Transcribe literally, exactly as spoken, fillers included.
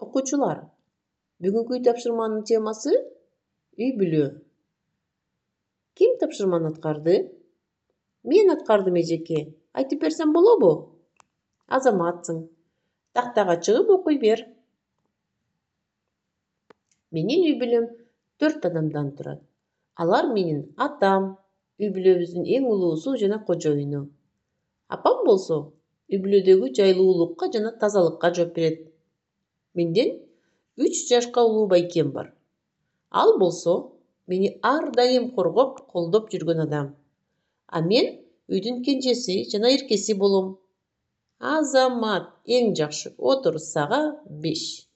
окуучулар, бүгүнкү үй тапшырманын темасы үй бүлө. Ким тапшырманы аткарды? Мен аткардым, эжеке. Айтып берсем болобу? Азаматсың. Тактага чыгып окуй бер. Менин үй бүлөм төрт адамдан турат. Алар менин атам, үй бүлөбүздүн эң улуусу жана кожоюну. Апам болсо үй бүлөдөгү жайлуулукка жана тазалыкка жооп берет. Менден үч жашка улуу байкем бар. Ал болсо мени ар дайым коргоп, колдоп жүргөн адам. А мен үйдүн кенжеси жана эркеси болом. Азамат, эң жакшы отуруз сага беш.